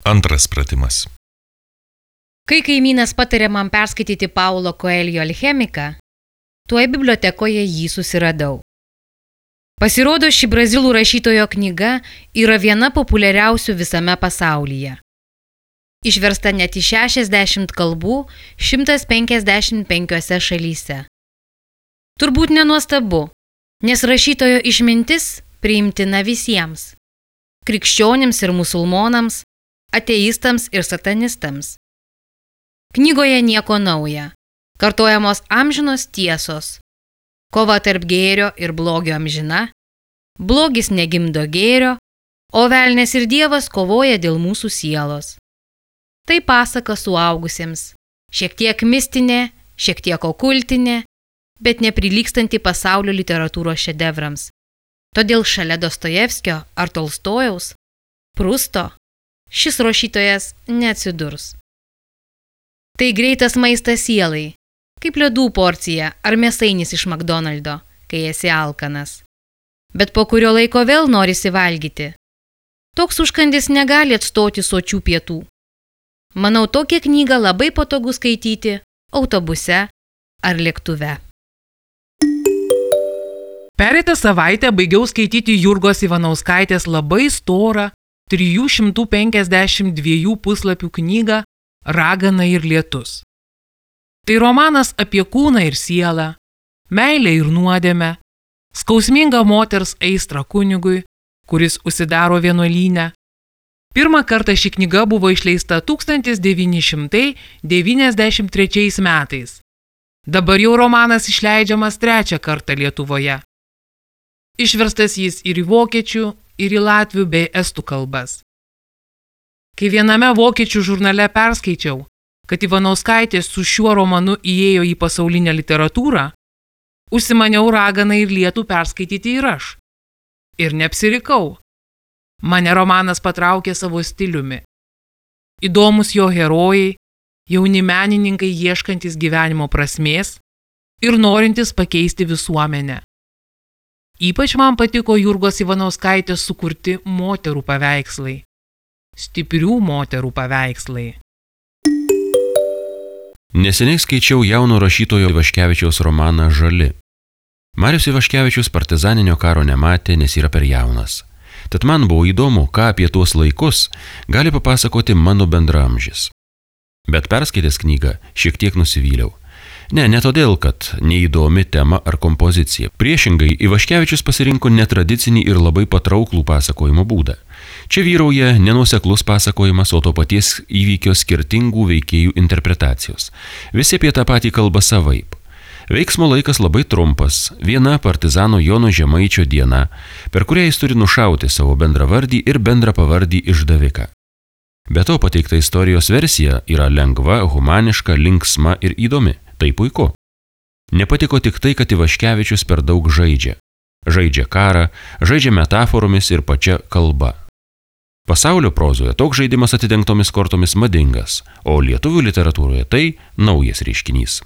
Antras pratimas. Kai kaimynas patarė man perskaityti Paulo Coelho Alchemiką, tuoj bibliotekoje jį susiradau. Pasirodo, ši brazilų rašytojo knyga yra viena populiariausių visame pasaulyje. Išversta net į 60 kalbų 155 šalyse. Turbūt nenuostabu, nes rašytojo išmintis priimtina visiems – krikščionims ir musulmonams, ateistams ir satanistams. Knygoje nieko nauja, kartojamos amžinos tiesos, kova tarp gėrio ir blogio amžina, blogis negimdo gėrio, o velnias ir Dievas kovoja dėl mūsų sielos. Tai pasaka suaugusiems, šiek tiek mistinė, šiek tiek okultinė, bet neprilygstanti pasaulio literatūros šedevrams. Todėl šalia Dostojevskio ar Tolstojaus, Prusto, šis rašytojas neatsidurs. Tai greitas maistas sielai, kaip ledų porcija ar mėsainis iš McDonald'o, kai esi alkanas. Bet po kurio laiko vėl norisi valgyti. Toks užkandis negali atstoti sočių pietų. Manau, tokią knygą labai patogu skaityti autobuse ar lėktuve. Pereitą savaitę baigiau skaityti Jurgos Ivanauskaitės labai storą 352 puslapių knygą Ragana ir lietus. Tai romanas apie kūną ir sielą, meilę ir nuodėmę, skausmingą moters aistrą kunigui, kuris užsidaro vienuolyne. Pirmą kartą ši knyga buvo išleista 1993 metais. Dabar jau romanas išleidžiamas trečią kartą Lietuvoje. Išverstas jis ir į vokiečių, ir į latvių bei estų kalbas. Kai viename vokiečių žurnale perskaičiau, kad Ivanauskaitė su šiuo romanu įėjo į pasaulinę literatūrą, užsimaniau Raganą ir lietų perskaityti ir aš. Ir neapsirikau. Mane romanas patraukė savo stiliumi. Įdomus jo herojai, jauni menininkai ieškantis gyvenimo prasmės ir norintis pakeisti visuomenę. Ypač man patiko Jurgos Ivanauskaitės sukurti moterų paveikslai. Stiprių moterų paveikslai. Neseniai skaičiau jauno rašytojo Ivaškevičiaus romaną Žali. Marius Ivaškevičius partizaninio karo nematė, nes yra per jaunas. Tad man buvo įdomu, ką apie tuos laikus gali papasakoti mano bendraamžis. Bet perskaitęs knygą šiek tiek nusivyliau. Ne todėl, kad neįdomi tema ar kompozicija. Priešingai, Ivaškevičius pasirinko netradicinį ir labai patrauklų pasakojimo būdą. Čia vyrauja nenuoseklus pasakojimas, o to paties įvykio skirtingų veikėjų interpretacijos. Visi apie tą patį kalba savaip. Veiksmo laikas labai trumpas, viena partizano Jono Žemaičio diena, per kurią jis turi nušauti savo bendravardį ir bendrapavardį išdaviką. Be to pateikta istorijos versija yra lengva, humaniška, linksma ir įdomi. Tai puiku. Nepatiko tik tai, kad Ivaškevičius per daug žaidžia. Žaidžia karą, žaidžia metaforomis ir pačia kalba. Pasaulio prozoje toks žaidimas atidengtomis kortomis madingas, o lietuvių literatūroje tai naujas reiškinys.